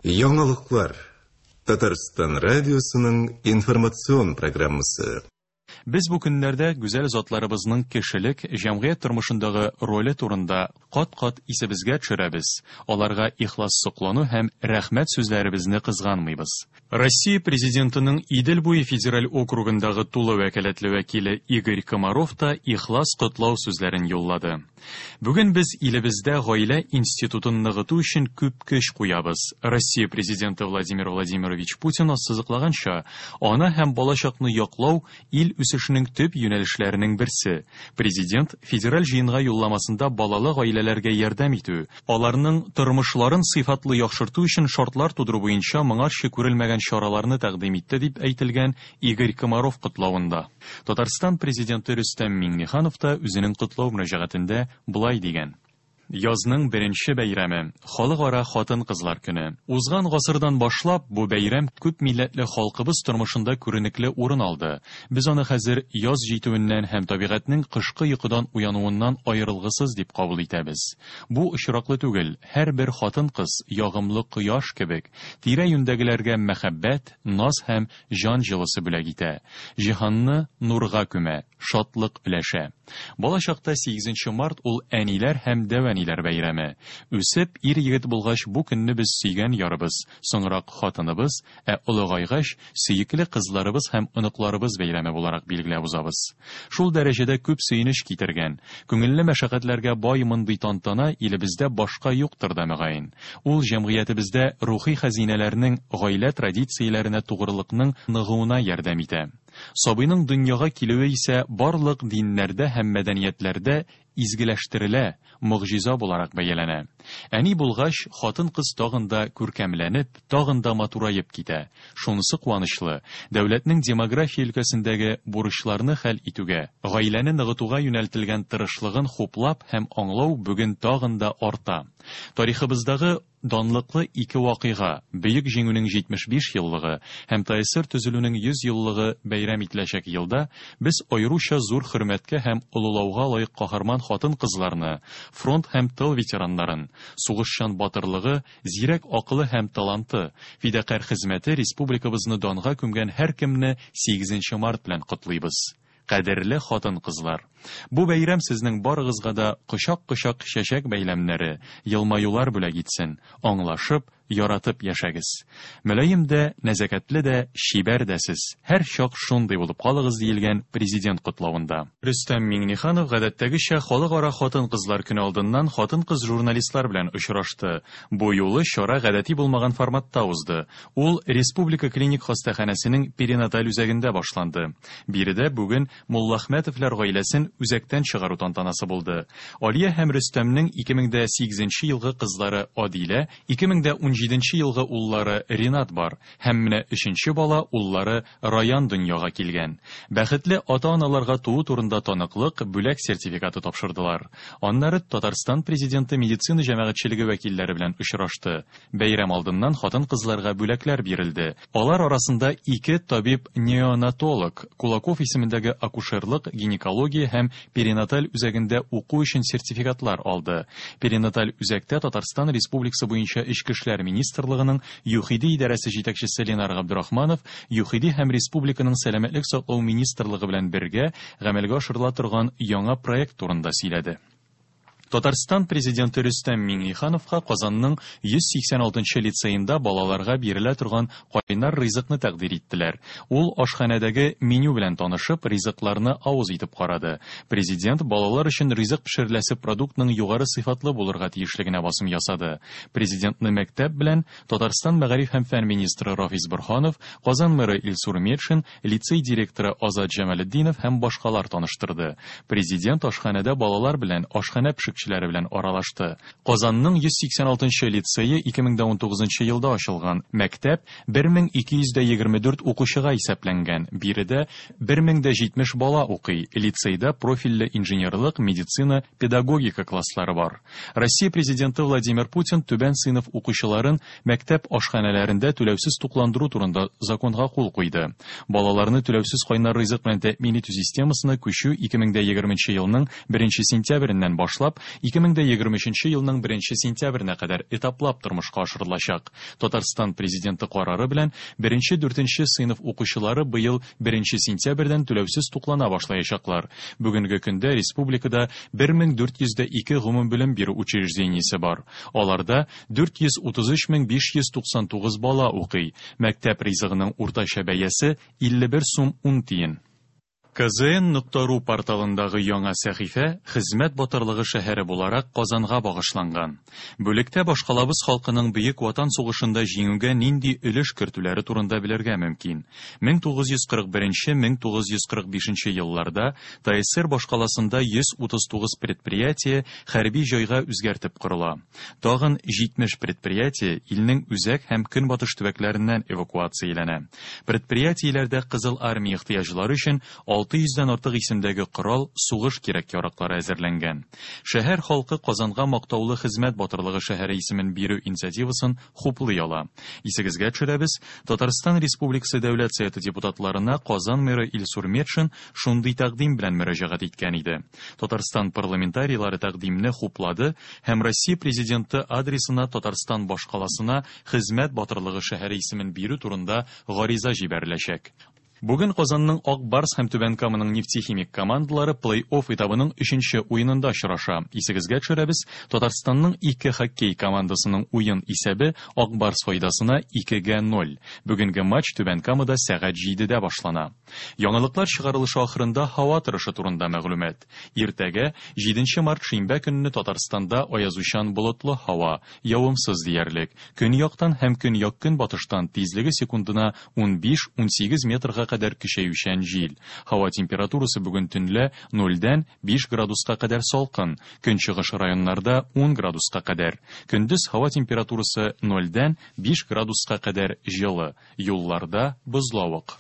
Яңалыклар. Татарстан радиосының информацион программасы. Без бу көннәрдә гүзәл затларыбызның кешелек, җәмгыять тормышындагы роле турында кат-кат исебезгә төшерәбез, аларга ихлас соклану һәм рәхмәт сүзләребезне кызганмыйбыз. Россия Президентының Идел буе федераль округындагы тулы вәкаләтле вәкиле Игорь Комаров та ихлас котлау сүзләрен юллады. Бүген без илебездә гаилә институтын ныгыту өчен күп көч куябыз. Россия Президенты Владимир Владимирович Путин ассызыклаганча, ана һәм балачакны яклау ил үсешенең төп юнәлешләренең берсе. Президент Федераль җыенга юлламасында балалы гаиләләргә ярдәм итү, аларның тормышларын сыйфатлы яхшырту өчен шартлар тудыру буенча моңарчы күрелмәгән чараларны тәкъдим итте, дип әйтелгән Игорь Комаров котлавында. Татарстан Президенты Рөстәм Миңнеханов та үзенең котлау мөрәҗәгатендә болай дигән. Язның беренче бәйрәме, Халыкара хатын-кызлар көне. Узган гасырдан башлап, бу бәйрәм күп милләтле халкыбыз тормышында күренекле урын алды. Без аны хәзер яз җитүеннән һәм табигатьнең кышкы йокыдан уянуыннан аерылгысыз дип кабул итәбез. Бу очраклы түгел, һәрбер хатын-кыз, ягымлы кояш кебек, тирә-юньдәгеләргә мәхәббәт, наз һәм җан җылысы бүләк итә, җиһанны нурга күмә, шатлык өләшә. Балачакта сигезенче март ул әниләр һәм дәү әниләр бәйрәме. Үсеп, ир-егет булгач, бу көнне без сөйгән ярыбыз, соңрак хатыныбыз, ә олыгайгач, сөекле кызларыбыз һәм оныкларыбыз бәйрәме буларак билгеләп узабыз. Шул дәрәҗәдә күп сөенеч китергән, күңелле мәшәкатьләргә бай мондый тантана илебездә башка юктыр да, мөгаен. Ул җәмгыятебездә рухи хәзинәләрнең, гаилә традицияләренә тугрылыкның ныгуына ярдәм итә. Сабыйның дөньяга килүе исә барлык диннәрдә һәм мәдәниятләрдә изгеләштерелә, могҗиза буларак бәяләнә. Әни булгач, хатын-кыз тагын да күркәмләнеп, тагын да матураеп китә. Шунысы куанычлы, дәүләтнең демография өлкәсендәге бурычларны хәл итүгә, гаиләне ныгытуга юнәлтелгән тырышлыгын хуплап һәм аңлау бүген тагын да арта. Тарихыбыздагы данлыклы ике вакыйга, Бөек Җиңүнең 75 еллыгы һәм ТАССР төзелүнең 100 еллыгы бәйрәм ителәчәк елда без аеруча зур хөрмәткә һәм олылауга лаек каһарман хатын-кызларны, фронт һәм тыл ветераннарын, сугышчан батырлыгы, зирәк акылы һәм таланты, фидакарь хезмәте республикабызны данга күмгән һәркемне сигезенче март белән котлыйбыз. Кадерле хатын-кызлар! Бу бәйрәм сезнең барыгызга да кочак-кочак чәчәк бәйләмнәре, елмаюлар бүләк итсен, аңлашып, яратып яшәгез. Мөлаем дә, нәзакәтле дә, чибәр дә сез, һәрчак шундый булып калыгыз, диелгән Президент котлавында. Рөстәм Миңнеханов, гадәттәгечә, Халыкара хатын-кызлар көне алдыннан хатын-кыз журналистлар белән очрашты. Бу юлы чара гадәти булмаган форматта узды. Ул Республика клиник хастаханәсенең перинаталь үзәгендә башланды. Биредә бүген Муллахмәтовлар гаиләсен үзәктән чыгару тантанасы булды. Алия һәм Рөстәмнең 2008 нче елгы кызлары Адилә, 2017 нче елгы уллары Ринат бар һәм менә өченче бала, уллары Раян дөньяга килгән. Бәхетле ата-аналарга туу турында таныклык, бүләк сертификаты тапшырдылар. Аннары Татарстан Президенты медицина җәмәгатьчелеге вәкилләре белән очрашты. Бәйрәм алдыннан хатын-кызларга бүләкләр бирелде. Алар арасында ике табиб-неонатолог, Кулаков исемендәге акушерлык, гинекология һәм перинаталь үзәгендә уку өчен сертификатлар алды. Перинаталь үзәктә Татарстан Республикасы буенча Эчке эшләр министрлыгының ЮХИДИ идарәсе җитәкчесе Ленар Габдрахманов ЮХИДИ һәм республиканың Сәламәтлек саклау министрлыгы белән бергә гамәлгә ашырыла торган яңа проект турында сөйләде. Татарстан Президенты Рөстәм Миңнехановка Казанның 186 нчы лицеенда балаларга бирелә торган кайнар ризыкны тәкъдир иттеләр. Ул ашханәдәге меню белән танышып, ризыкларны авыз итеп карады. Президент балалар өчен ризык пешереләсе продуктның югары сыйфатлы булырга тиешлегенә басым ясады. Президентны мәктәп белән Татарстан мәгариф һәм фән министры Рафис Борһанов, Казан мэры Илсур Метшин, лицей директоры Азат Җамалетдинов һәм башкалар таныштырды. Президент ашханәдә балалар белән, ашханә пешекчеләре белән аралашты. Казанның 186 нчы лицее 2019 нчы елда ачылган. Мәктәп 1224 укучыга исәпләнгән, биредә 1070 бала укый. Лицейда профильле инженерлык, медицина, педагогика класслары бар. Россия Президенты Владимир Путин түбән сыйныф укучыларын мәктәп ашханәләрендә түләүсез тукландыру турында законга кул куйды. Балаларны түләүсез кайнар ризык белән тәэмин итү системасына күчү 2020 елның 1 сентябреннән башлап, 2023 елның 1 сентябренә кадәр этаплап тормышка ашырылачак. Татарстан Президенты карары белән 1-4 сыйныф укучылары быел 1 сентябрьдән түләүсез туклана башлаячаклар. Бүгенге көндә республикада 1402 гомумбелем бирү учреждениесе бар. Аларда 433 599 бала укый. Мәктәп ризыгының уртача бәясе 51 сум 10 тиен. kzn.ru порталындагы яңа сәхифә Хезмәт батырлыгы шәһәре буларак Казанга багышланган. Бүлектә башкалабыз халкының Бөек Ватан сугышында җиңүгә нинди өлеш кертүләре турында белергә мөмкин. 1941-1945 елларда ТАССР башкаласында 139 предприятие хәрби җайга үзгәртеп корыла. Тагын 70 предприятие илнең үзәк һәм көнбатыш төбәкләреннән эвакуацияләнә. Предприятиеләрдә Кызыл армия ихтыяҗлары өчен 600дән артык исемдәге корал, сугыш кирәк-яраклары әзерләнгән. Шәһәр халкы Казанга мактаулы хезмәт батырлыгы шәһәре исемен бирү инициативасын хуплый ала. Исегезгә төшерәбез, Татарстан Республикасы Дәүләт Советы депутатларына Казан мэры Илсур Метшин шундый тәкъдим белән мөрәҗәгать иткән иде. Татарстан парламентарийлары тәкъдимне хуплады һәм Россия президенты адресына Татарстан башкаласына хезмәт батырлыгы шәһәре исемен бирү турында гариза җибәреләчәк. Бүген Казанның Ак Барс һәм Түбән Каманың Нефтехимик командалары плей-офф этабының 3нче уенында очраша. Исегезгә төшерәбез, Татарстанның ике хоккей командасының уен исәбе Ак Барс файдасына 2-0. Бүгенге матч Түбән Камада сәгать 7дә башлана. Яңалыклар чыгарылышы ахырында һава торышы турында мәгълүмат. Иртәгә 7 март шимбә көнне Татарстанда аязучан болытлы һава, явымсыз диярлек. Көньяктан һәм көньяк-көнбатыштан тизлеге секундына 15-18 метрга кадәр көчәючән җил. Һава температурасы бүген төнлә 0дән 5 градуска кадәр салкын, көнчыгыш районнарда 10 градуска кадәр. Көндез һава температурасы 0дән 5 градуска кадәр җылы, юлларда бозлавык.